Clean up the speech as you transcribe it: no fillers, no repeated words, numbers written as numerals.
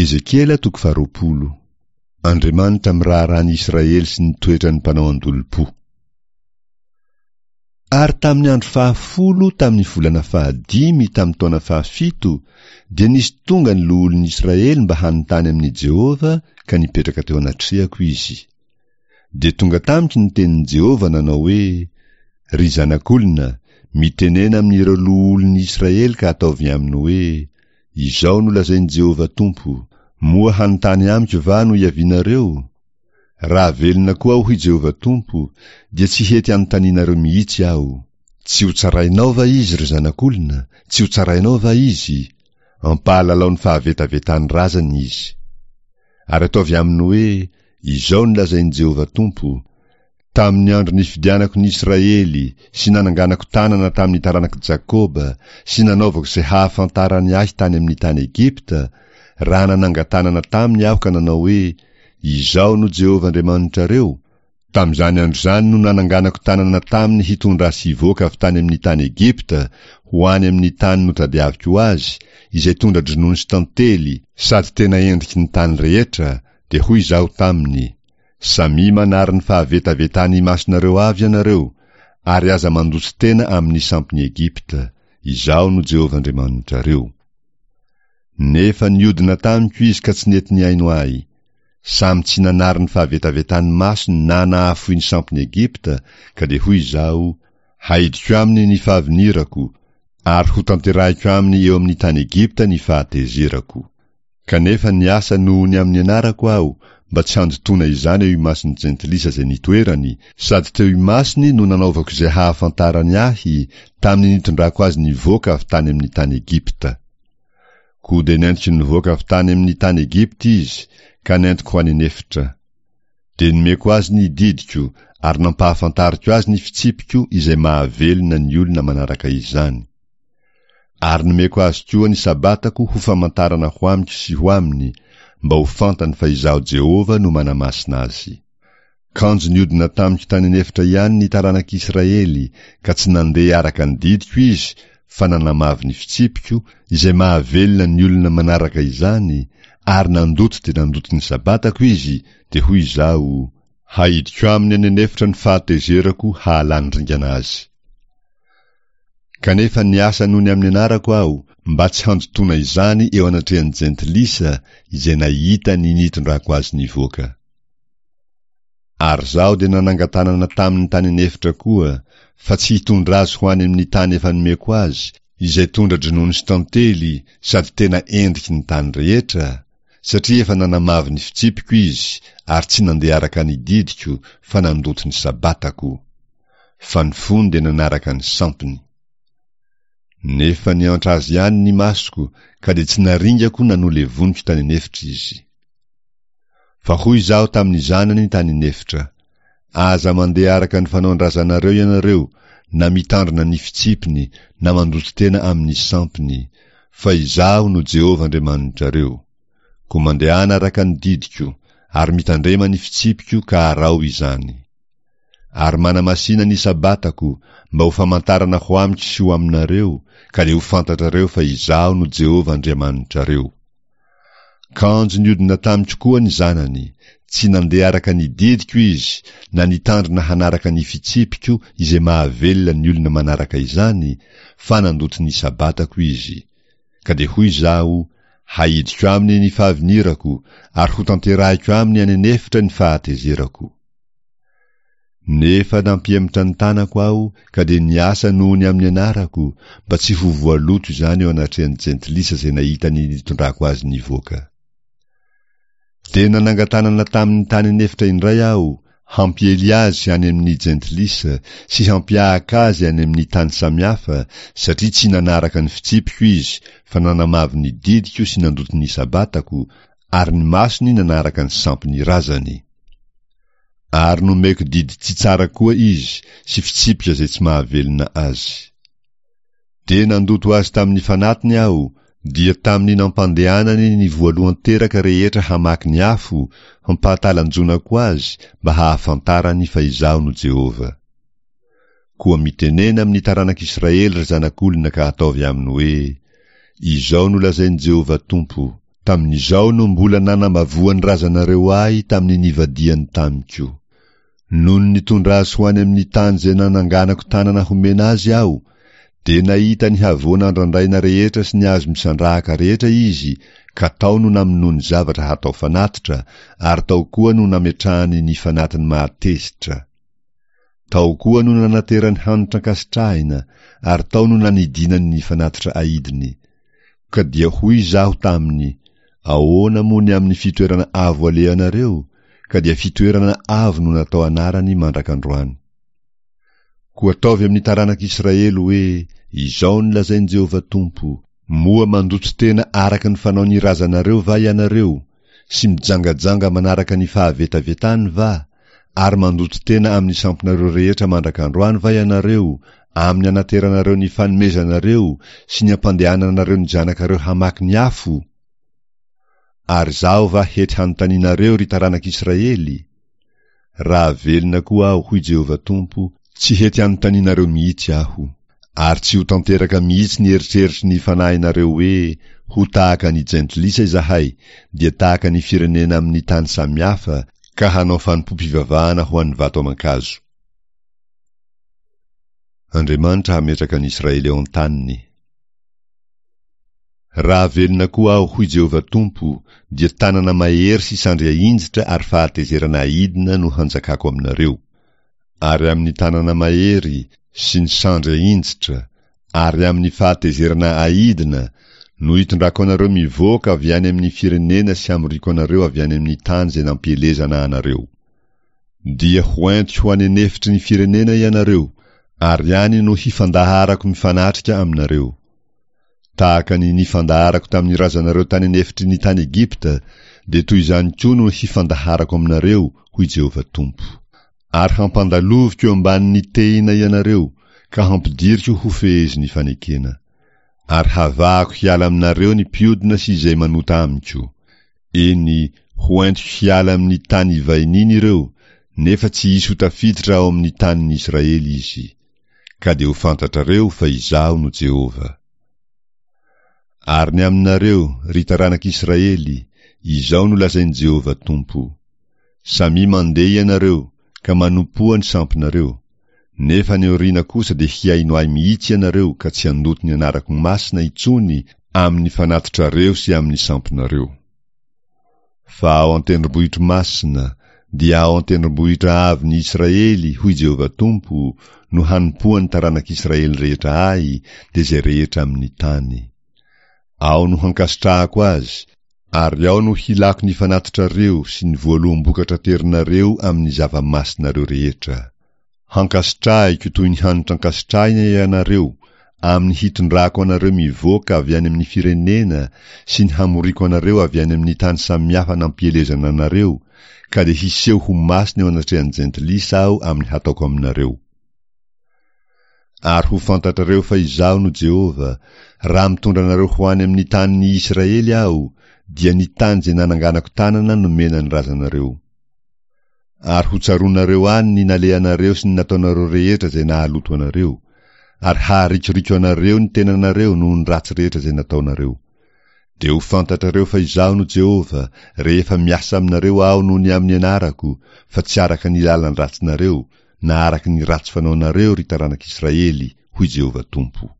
Ezekiela toko faharoapolo. Andriamanitra miraharaha ny Israely sy ny toetran'ny mpanao an-dolompo. Ary tamin'ny andro fahafolo tamin'ny volana fahadimy tamin'ny taona fahafito dia nisy tonga ny loholon'ny Israely mba hanontany amin'i Jehovah ka nipetraka teo anatrehako izy. Dia tonga tamiko ny tenin'i Jehovah nanao hoe, Ry zanak'olona, mitenena amin'ireo loholon'ny Israely ka ataovy aminy hoe, Izao no lazain'i Jehovah Tompo, Moa hanontany amiko va no iavianareo? Raha velona koa aho, hoy Jehovah Tompo, dia tsy hety hanontanianareo mihitsy aho. Tsy hotsarainao va izy, ry zanak'olona? Tsy hotsarainao va izy? Ampahalalao ny fahavetavetan'ny razany izy. Ary ataovy aminy hoe, Izao no lazain'i Jehovah Tompo, Tamin'ny andro nifidianako ny Israely sy nananganako tanana tamin'ny taranak'i Jakoba sy nanaovako izay hahafantarany ahy tany amin'ny tany Egypta, raha nanangan-tanana taminy aho ka nanao hoe, Izaho no Jehovah Andriamanitrareo, Tamin'izany andro izany no nananganako tanana taminy hitondra azy hivoaka avy tany amin'ny tany Egypta ho any amin'ny tany notadiaviko ho azy, izay tondra-dronono sy tantely, sady tena endriky ny tany rehetra, dia hoy izaho taminy, Samia manary ny fahavetavetany imasonareo avy ianareo, ary aza mandoto tena amin'ny sampin'i Egypta, Izaho no Jehovah Andriamanitrareo. Nefa niodina tamiko izy ka tsy nety nihaino ahy. Samy tsy nanary ny fahavetavetan'ny masony na nahafoy ny sampin'i Egypta, ka dia hoy izaho, Haidiko aminy ny fahavinirako, ary hotanterahiko aminy eo amin'ny tany Egypta ny fahatezerako. Kanefa niasa noho ny amin'ny anarako aho, mba tsy handotoana izany eo imason'ny jentilisa izay nitoerany, sady teo imasony no nanaovako izay hahafantarany ahy, tamin'ny nitondrako azy nivoaka avy tany amin'ny tany Egypta. Koa dia nentiko nivoaka avy tany amin'ny tany Egypta izy, ka nentiko ho any an'efitra. Dia nomeko azy ny didiko ary nampahafantariko azy ny fitsipiko izay mahavelona ny olona manaraka izany. Ary nomeko azy koa ny Sabatako ho famantarana ho amiko sy ho aminy, mba ho fantany fa Izaho Jehovah no manamasina azy. Kanjo niodina tamiko tany an'efitra ihany ny taranak'Israely, ka tsy nandeha araka ny didiko izy, fa nanamavo ny fitsipiko, izay mahavelona ny olona manaraka izany, ary nandoto dia nandoto ny Sabatako izy, dia hoy Izaho, Haidiko aminy any an'efitra ny fahatezerako hahalany ringana azy. Kanefa niasa noho ny amin'ny anarako aho, mba tsy handotoana izany eo anatrehan'ny jentilisa izay nahita ny nitondrako azy nivoaka. Ary izaho dia nanangan-tanana taminy tany an'efitra koa, fa tsy hitondra azy ho any amin'ny tany efa nomeko azy, izay tondra-dronono sy tantely sady tena endriky ny tany rehetra, satria efa nanamavo ny fitsipiko izy ary tsy nandeha araka ny didiko fa nandoto ny Sabatako. Fa ny fony dia nanaraka ny sampiny. Nefa niantra azy ihany ny masoko ka dia tsy naringako na nolevoniko tany an'efitra izy. Fa hoy izaho tamin'ny zanany tany an'efitra, Aza mandeha araka ny fanaon-drazanareo ianareo, na mitandrina ny fitsipiny, na mandoto tena amin'ny sampiny, fa Izaho no Jehovah Andriamanitrareo. Koa mandehana araka ny didiko, ary mitandrema ny fitsipiko ka araho izany. Ary manamasina ny Sabatako, mba ho famantarana ho amiko sy ho aminareo, ka dia ho fantatrareo fa Izaho no Jehovah Andriamanitrareo. Kanjo niodina tamiko koa ny zanany, tsy nandeha araka ny didiko izy, na nitandrina hanaraka ny fitsipiko izay mahavelona ny olona manaraka izany, fa nandoto ny Sabatako izy. Ka dia hoy izaho, Haidiko aminy ny fahavinirako, ary hotanterahiko aminy any an'efitra ny fahatezerako. Nefa nampihemotra ny tanako aho ka dia niasa noho ny amin'ny anarako, mba tsy ho voaloto izany eo anatrehan'ny jentilisa izay nahita ny nitondrako azy nivoaka. Dia nanangan-tanana taminy tany an'efitra indray aho, hampiely azy any amin'ny jentilisa sy hampiahaka azy any amin'ny tany samihafa, satria tsy nanaraka ny fitsipiko izy, fa nanamavo ny didiko sy nandoto ny Sabatako, ary ny masony nanaraka ny sampin'ny razany. Ary nomeko didy tsy tsara koa izy sy fitsipika izay tsy mahavelona azy. Dia nandoto azy tamin'ny fanatiny aho, dia tamin'ny nampandehanany ny voalohan-teraka rehetra hamaky ny afo, hampahatalanjonako azy mba hahafantarany fa Izaho no Jehovah. Koa mitenena amin'ny taranak'Israely ry zanak'olona ka ataovy aminy hoe, Izao no lazain'i Jehovah Tompo. Tamin'izao no mbola nanambavoan'ny razanareo ahy tamin'ny nivadihany tamiko. Nony nitondra azy ho any amin'ny tany izay nananganako tanana homena azy aho, dia nahita ny havoana andrandraina rehetra sy ny hazo misandrahaka rehetra izy, ka tao no namonoany zavatra hatao fanatitra, ary tao koa no nametrahany ny fanatiny mahatezitra. Tao koa no nanaterany hanitra ankasitrahina, ary tao no nanidinany ny fanatitra aidiny. Ka dia hoy izaho taminy, Ahoana moa ny amin'ny fitoerana avo alehanareo? Ka dia fitoerana avo no natao anarany mandrak'androany. Koa ataovy amin'ny taranak'Israely hoe, Izao no lazain'i Jehovah Tompo, Moa mandoto tena araka ny fanaon'ny razanareo va ianareo, sy mijangajanga manaraka ny fahavetavetany va, ary mandoto tena amin'ny sampinareo rehetra mandrak'androany va ianareo, amin'ny anateranareo ny fanomezanareo sy ny ampandehananareo ny zanakareo hamaky ny afo? Ary izaho va hety hanontanianareo, ry taranak'Israely? Raha velona koa aho, hoy Jehovah Tompo, tsy hety hanontanianareo mihitsy aho. Ary tsy ho tanteraka mihitsy ny eritreritry ny fanahinareo hoe, Ho tahaka ny jentilisa izahay, dia tahaka ny firenena amin'ny tany samihafa, ka hanao fanompoam-pivavahana ho an'ny vato aman-kazo. Andriamanitra hametraka an'i Israely eo an-taniny. Raha velona koa aho, hoy Jehovah Tompo, dia tanana mahery sy sandry ahinjitra ary fahatezerana aidina no hanjakako aminareo. Ary amin'ny tanana mahery sy ny sandry ahinjitra ary amin'ny fahatezerana aidina no hitondrako anareo mivoaka avy any amin'ny firenena sy hamoriako anareo avy any amin'ny tany izay nampielezana anareo. Dia ho entiko ho any an'efitry ny firenena ianareo, ary any no hifandaharako mifanatrika aminareo. Tahaka ny nifandaharako tamin'ny razanareo tany an'efitry ny tany Egypta, dia toy izany koa no hifandaharako aminareo, hoy Jehovah Tompo. Ary hampandaloviko eo ambanin'ny tehina ianareo, ka hampidiriko ho fehezin'ny fanekena. Ary havahako hiala aminareo ny mpiodina sy izay manota amiko. Eny, ho entiko hiala amin'ny tany ivahiniany ireo, nefa tsy hisy ho tafiditra ao amin'ny tanin'ny Israely izy. Ka dia ho fantatrareo fa Izaho no Jehovah. Ary ny aminareo, ry taranak'Israely, izao no lazain'i Jehovah Tompo, Samia mandeha ianareo, ka manompoa ny sampinareo, nefa any aoriana kosa dia hihaino ahy mihitsy ianareo ka tsy handoto ny anarako masina intsony amin'ny fanatitrareo sy amin'ny sampinareo. Fa ao an-tendrombohitro masina, dia ao an-tendrombohitra avon'i Israely, hoy Jehovah Tompo, no hanompoan'ny taranak'Israely rehetra ahy, dia izay rehetra amin'ny tany. Ao no hankasitrahako azy, ary ao no hilako ny fanatitrareo sy ny voaloham-bokatra aterinareo amin'ny zava-masinareo rehetra. Hankasitrahiko toy ny hanitra ankasitrahina ianareo, amin'ny hitondrako anareo mivoaka avy any amin'ny firenena sy ny hamoriako anareo avy any amin'ny tany samihafa nampielezana anareo, ka dia hiseho ho masina eo anatrehan'ny jentilisa aho amin'ny hataoko aminareo. Ary ho fantatrareo fa Izaho no Jehovah, raha mitondra anareo ho any amin'ny tanin'ny Israely Aho, dia ny tany izay nananganako tanana nomena ny razanareo. Ary ho tsaroanareo any ny nalehanareo sy ny nataonareo rehetra izay nahaloto anareo, ary haharikoriko anareo ny tenanareo noho ny ratsy rehetra izay nataonareo. Dia ho fantatrareo fa Izaho no Jehovah, rehefa miasa aminareo Aho noho ny amin'ny anarako, fa tsy araka ny lalan-dratsinareo, na araka ny ratsy fanaonareo, ry taranak'Israely, hoy Jehovah Tompo.